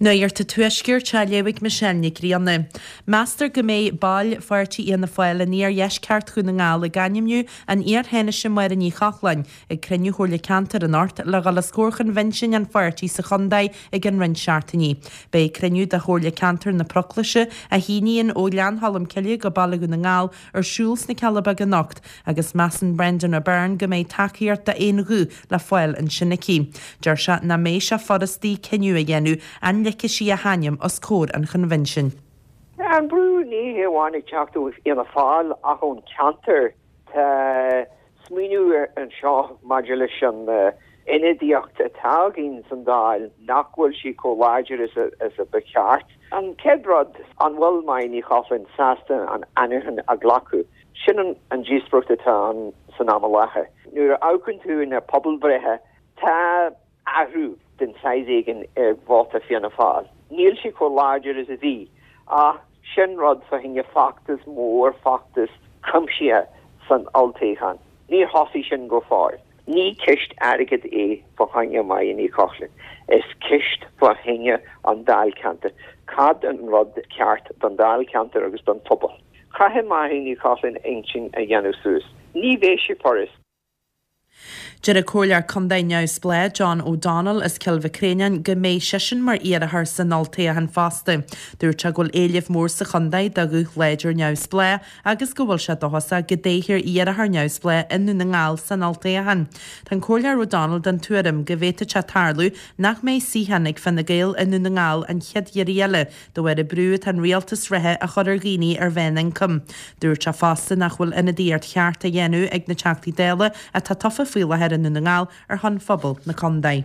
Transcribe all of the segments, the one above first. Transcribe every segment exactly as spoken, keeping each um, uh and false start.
Nuacht an Tuaiscirt á léamh ag Michelle Nic Grianna. Meastar go mbeidh baill pháirtí Fhianna Fáil in iardheisceart Dhún na nGall ag ainmniú an iar-Thánaiste Máire Ní Chochláin ag cruinniú Chomhairle Ceantair anocht le dhul os comhair choinbhinsiún an pháirtí sa chontae i gceann roinnt seachtainí. Beidh cruinniú de Chomhairle Ceantair na Proclaise, a shíníonn ó Ghleann Cholm Cille go Baile Dhún na nGall, ar siúl sna Cealla Beaga anocht agus measann Brendan O'Byrne go mbeidh tacaíocht d'aon ghuth le fáil ansin aici. Deir sé nach mbeidh sé furast di cinneadh a dhéanamh an ligfidh sí a hainm os comhair an choinbhinsiúin. Tá an brú ní hé amháin ag teacht ó Fhianna Fáil ach ón ceantar. Tá smaoineamh anseo maidir leis an ionadaíocht atá againn san Dáil nach bhfuil sí chomh láidir is a ba cheart. An chéad rud, an bhfuil Máire Ní Chochláin sásta an ainmniúchán a ghlacadh? Sin an díospóireacht atá ann san am i láthair. Nuair a amharcann tú na pobalbhreithe, tá athrú den saghas éigin ar vóta Fianna Fáil. Níl sé chomh láidir is a bhí, ach sin rud fá choinne feachtas mór, feachtas cuimsithe san olltoghchán. Níor thosaigh sin go fóill. Ní ceist airgid é fá choinne Máire Ní Chochláin, is ceist fá choinne an dáilcheantar. Cad an rud ceart don dáilcheantar agus don phobal? Caithfidh Máire Ní Chochláin intinn a dhéanamh suas. Ní bheidh sé furast. Deir an Comhairleoir Contae neamhspleách John O'Donnell as Cill Mhic Réanáin go mbeidh seisean mar iarrthóir san olltoghchán fosta. Dúirt sé go bhfuil éileamh mór sa chontae do ghuth láidir neamhspleách agus go bhfuil sé dóchasach go dtoghfar iarrthóir neamhspleách i nDún na nGall san olltoghchán. Tá an Comhairleoir O'Donnell den tuairim go bhféadfadh sé tarlú nach mbeidh suíochán ag Fine Gael i nDún na nGall an chéad iarraidh eile de bharr an brú atá an rialtas reatha a chur ar dhaoine ar mheánioncam. Dúirt sé fosta nach bhfuil ionadaíocht cheart á dhéanamh ag na Teachtaí Dála atá tofa faoi láthair i nDún na nGall ar shon phobal na contae.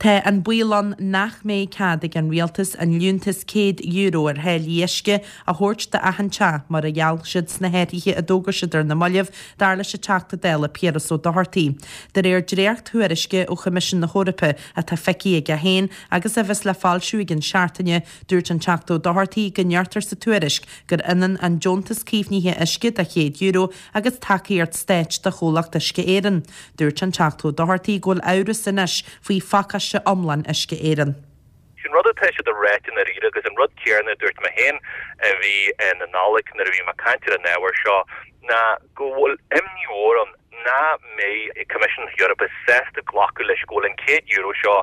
Tá an baol ann nach mbeidh cead ag an rialtas an liúntas céad euro ar tháillí uisce a thabhairt d'achan teach mar a gheall siad sna hathruithe a d'fhógair siad ar na mallaibh, dar leis an Teachta Dála Piaras Ó Dochartaigh. De réir dréacht-thuairisce ó Choimisiún na hEorpa atá feicthe aige féin agus a bheas le foilsiú i gcionn seachtaine, dúirt an Teachta Ó Dochartaigh go ndeirtear sa tuairisc gur ionann an deontas caomhnaithe uisce de chéad euro agus tacaíocht stáit do chomhlacht Uisce Éireann. Dúirt an Teachta Ó Dochartaigh go bhfuil amhras anois faoi phacáiste iomlán Uisce Éireann. Sin rud atá siad a ráit i ndáiríre agus an rud céanna a dúirt mé féin i mí na Nollag nuair a bhí mé ag caint ar an ábhar seo ná go bhfuil imní mhór ann nach mbeidh Coimisiún na hEorpa sásta glacadh leis go bhfuil an céad euro seo,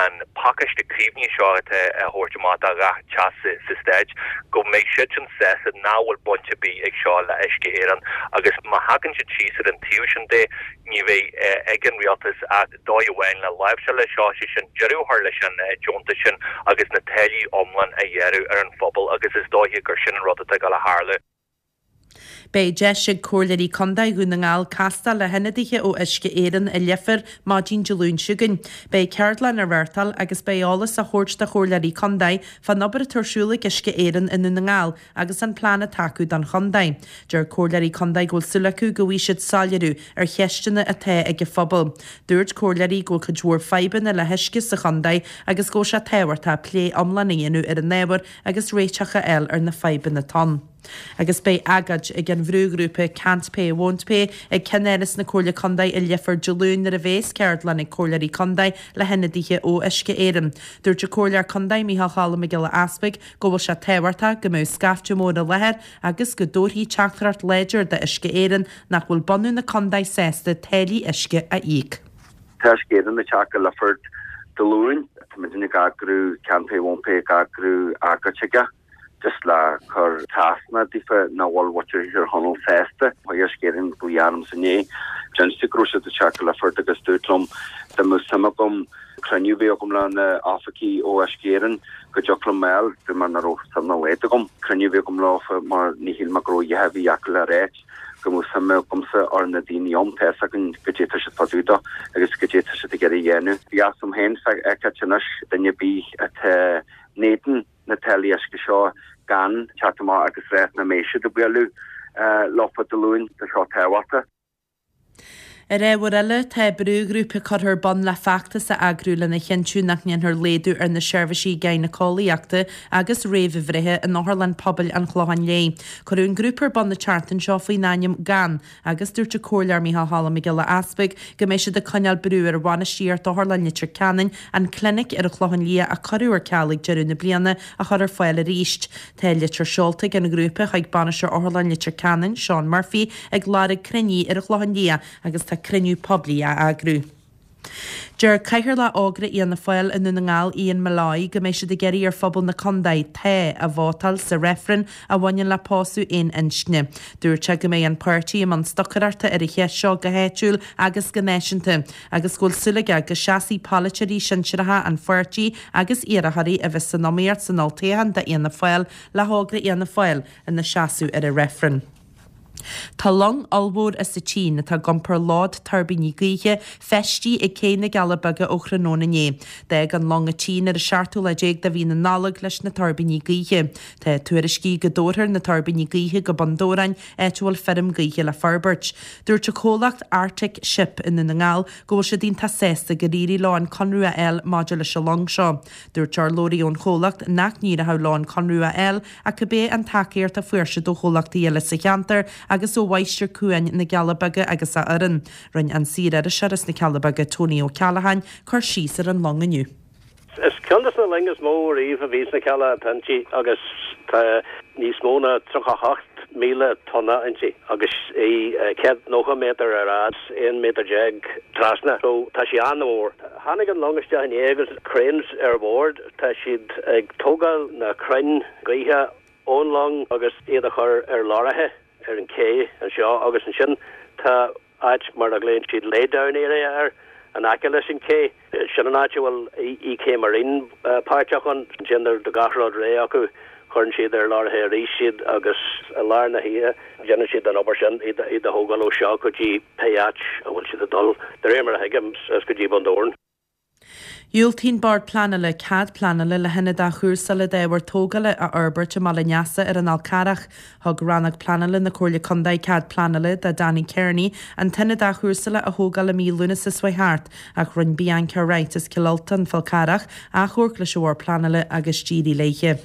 an pacáiste caomhnaithe seo atá á thabhairt amach do gach teach sa Stát, go mbeidh siadsan sásta nach bhfuil baint ar bith ag seo le Uisce Éireann agus má thagann siad síos ar an taobh sin de, ní bheidh ag an rialtas ach dóigh amháin le láimhseáil leis seo, sé sin deireadh a chur leis an deontas sin agus na táillí iomlán a ghearradh ar an phobal agus is dóiche gur sin an rud atá ag dul a tharlú. Beidh deis ag Comhairleoirí Contae Dhún na nGall castáil le hionadaithe ó Uisce Éireann i Leifear maidin Dé Luain seo chugainn. Beidh ceardlann á reáchtáil agus beidh eolas á thabhairt do Chomhairleoirí Contae fán obair atá ar siúl ag Uisce Éireann i nDún na nGall agus an plean atá acu don chontae. Deir Comhairleoirí Contae go bhfuil súil acu go bhfaighidh siad soiléiriú ar cheisteanna atá ag an phobal. Dúirt comhairleoirí go bhfuil cuid mhór fadhbanna le huisce sa chontae agus go bhfuil sé tábhachtach plé iomlán a dhéanamh ar an ábhar agus réiteach a fháil ar na fadhbanna atá ann. Agus beidh agóid ag an bhrúghrúpa Can't Pay Won't Pay ag ceannáras na Comhairle Contae i Leifear Dé Luain nuair a bheas ceardlann ag Comhairleoirí Contae le hionadaithe ó Uisce Éireann. Dúirt an Comhairleoir Contae Micheál Choilm Mac Giolla Easpaig go bhfuil sé tábhachtach go mbeadh scaifte mór i láthair agus go dtabharfaí teachtaireacht láidir d'Uisce Éireann nach bhfuil bunadh na contae sásta táillí uisce a íoc. Tá Uisce Éireann ag teacht go Leifear Dé Luain. Tá muidinne ag eagrú Can't Pay Won't Pay ag eagrú agóid chuige. Just le cur trasna daofa nach bhfuil muintir Thír Chonaill sásta. Chuaigh Uisce Éireann glaoch ormsa inné. D'inis go raibh siad ag teacht go Leifear agus dúirt liom dá mbeadh suim agam cruinniú a bheith agam le na oifigigh ó Uisce Éireann go dtiocfadh liom a fháil. Dúirt mé nach raibh suim dá laghad agam cruinniú a bheith agam leofa mar ní shíl mé go raibh a dhath ar bith acu le ráit go mbeadh suim agamsa ar na daoine ann. Tá fhios againn goidé tá siad fá dtaobh de agus goidé tá siad ag iarraidh a dhéanamh. Bhí fhios agam féin feiceáilt anois duine ar bith atá in éadan na táillí uisce seo gan teacht amach agus ráit nach mbeidh siad ag bualadh leofa Dé Luain. Tá seo tábhachtach. Ar ábhar eile, tá brúghrúpa curtha ar bun le feachtas a eagrú lena chinntiú nach ndéanfar laghdú ar na seirbhísí gynaecoláíochta agus réamhbhreithe in Otharlann Pobail an Chlocháin Léith. Cuireadh an grúpa ar bun an tseachtain seo faoin ainm GAN agus dúirt an Comhairleoir Micheál Choilm Mac Giolla Easpaig go mbeidh siad ag coinneáil brú ar bhainistíocht Otharlann Leitir Ceanainn an clinic ar an Chlochán Liath a cuireadh ar ceal ag deireadh na bliana a chur ar fáil arís. Tá litir seolta ag an ghrúpa chuig Bainisteoir Otharlann Leitir Ceanainn, Seán Murphy, ag lorg cruinniú ar an Chlochán Liath agus tá cruinniú poiblí á eagrú. Deir Cathaoirleach Ógra Fhianna Fáil i nDún na nGall, Ian Molloy, go mbeidh siad ag iarraidh ar phobal na contae 'Tá' a vótáil sa reifreann a bhaineann le pósadh aon inscne. Dúirt sé go mbeidh an páirtí i mbun stocaireachta ar an cheist seo go háitiúil agus go náisiúnta agus go bhfuil súil aige go seasfaidh polaiteoirí sinsearacha an pháirtí agus iarrthóirí a bheas san iomaíocht san olltoghchán d'Fhianna Fáil le hÓgra Fhianna Fáil ina seasamh ar an reifreann. Tá long ollmhór as an tSín atá ag iompar lód tuirbíní gaoithe feistithe ag Cé na gCealla Beaga ó thráthnóna inné. D'fhág an long an tSín ar an seachtú lá déag de mhí na Nollag leis na tuirbíní gaoithe. Tá tuairiscí go dtabharfar na tuirbíní gaoithe go Bun Dobhráin, áit a bhfuil feirm gaoithe le forbairt. Dúirt an comhlacht Arctic Ship i nDún na nGall go bhfuil siad iontach sásta gur éirigh leo an conradh a fháil maidir leis an long seo. Dúirt urlabhraí ón chomhlacht nach n-éireodh leo an conradh a fháil ach cibé an tacaíocht a fuair siad ó chomhlachtaí eile sa cheantar agus ó Mháistir Cuain na gCealla Beaga agus a fhoireann. Rinne an saor-iriseoir as na Cealla Beaga Tony Ó Ceallacháin cur síos ar an long inniu. Is ceann de na loinge is mó riamh a bhí sna Cealla atá inti agus tá níos mó ná tríocha hocht míle tonna inti agus í céad nócha méadar ar fhad, aon méadar déag trasna. So tá sí an-mhór. Tháinig an long isteach inné agus cranes ar bord, tá siad ag tógáil na crainn gaoithe ón long agus iad a chur ar lorraithe ar an ché anseo agus ansin tá áit mar a ghlaonn siad laydown area air in aice leis an ché. Sin an áit a bhfuil EK Marine páirteach ann. Ansin nuair atá gach rud réidh acu cuireann siad ar lorraithe arís iad agus i lár na hoíche déanann siad an obair sin iad a thógáil ó seo go dtí pé áit a bhfuil siad ag dul. De réir mar a thuigim is go dtí Bun Dobhráin. Dhiúltaigh an Bord Pleanála cead pleanála le hionad athchúrsála d'ábhar tógála a fhorbairt i mBaile an Easa ar an Fhál Carrach. Thug Rannóg Pleanála na Comhairle Contae cead pleanála do Danny Kearney an t-ionad athchúrsála a thógáil i mí Lúnasa seo thart ach rinne Bianca Wright as Cill Ultain, Fál Carrach, achomharc leis an Bhord Pleanála agus d'éirigh léi.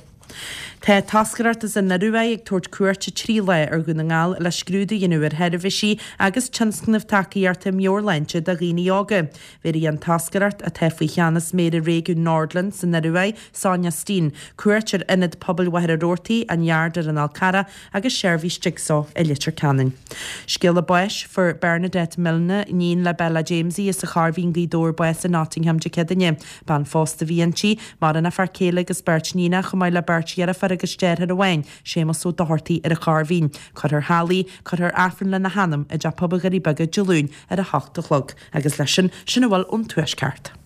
Tá toscaireacht as an Ioruaidh ag tabhairt cuairte trí lá ar Dhún na nGall le scrúdú a dhéanamh ar sheirbhísí agus tionscnaimh tacaíochta meabhairshláinte do dhaoine óga. Bhéarfaidh an toscaireacht, atá faoi cheannas Méara Réigiún Nordland san Ioruaidh, Sonja Steen, cuairt ar Ionad Pobail Mhachaire Rabhartaigh, an Yard ar an Fhál Carrach agus seirbhís Jigsaw i Leitir Ceanainn. Scéala báis, Fuair Bernadette Milne, iníon le Bella Jamesie as an Chorrmhín, Gaoth Dobhair, bás i Nottingham Dé Céadaoine. Bean phósta a bhí inti, maireann a fear céile agus beirt níonach chomh maith le beirt dheirfiúr agus deartháir amháin, Séamus Ó Dochartaigh ar an Chorrmhín. Cuirfear thall í, cuirfear Aifreann lena hanam i dTeach Pobail Dhoirí Beaga Dé Luain ar a hocht a chlog. Agus leis sin, sin a bhfuil ón Tuaisceart.